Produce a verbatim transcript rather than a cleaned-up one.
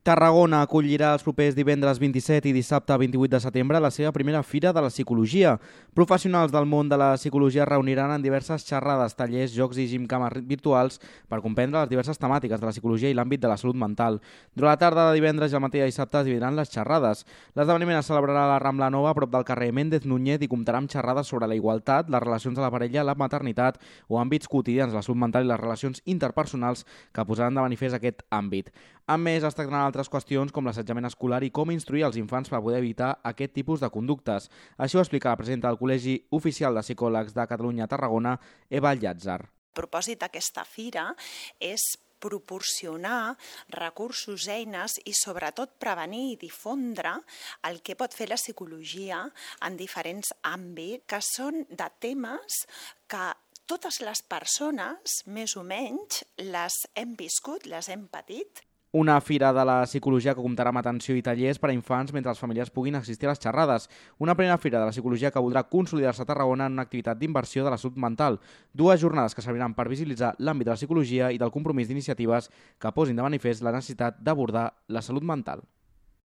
Tarragona acollirà els propers divendres vint-i-set i dissabte vint-i-vuit de setembre la seva primera Fira de la Psicologia. Professionals del món de la psicologia es reuniran en diverses xerrades, tallers, jocs i gimcames virtuals per comprendre les diverses temàtiques de la psicologia i l'àmbit de la salut mental. Durant la tarda de divendres i el matí de dissabte es dividiran les xerrades. L'esdeveniment es celebrarà a la Rambla Nova, a prop del carrer Méndez Núñez, i comptarà amb xerrades sobre la igualtat, les relacions de la parella, la maternitat o àmbits quotidians de la salut mental i les relacions interpersonals que posaran de manifest aquest àmbit. A més, es tractaran altres qüestions com l'assetjament escolar i com instruir els infants per poder evitar aquest tipus de conductes. Així ho explica la presidenta del Col·legi Oficial de Psicòlegs de Catalunya a Tarragona, Eva Llàtzer. El propòsit d'aquesta fira és proporcionar recursos, eines i sobretot prevenir i difondre el que pot fer la psicologia en diferents àmbits, que són de temes que totes les persones, més o menys, les hem viscut, les hem patit. Una fira de la psicologia que comptarà amb atenció i tallers per a infants mentre els familiars puguin assistir a les xerrades. Una primera fira de la psicologia que voldrà consolidar-se a Tarragona en una activitat d'inversió de la salut mental. Dues jornades que serviran per visibilitzar l'àmbit de la psicologia i del compromís d'iniciatives que posin de manifest la necessitat d'abordar la salut mental.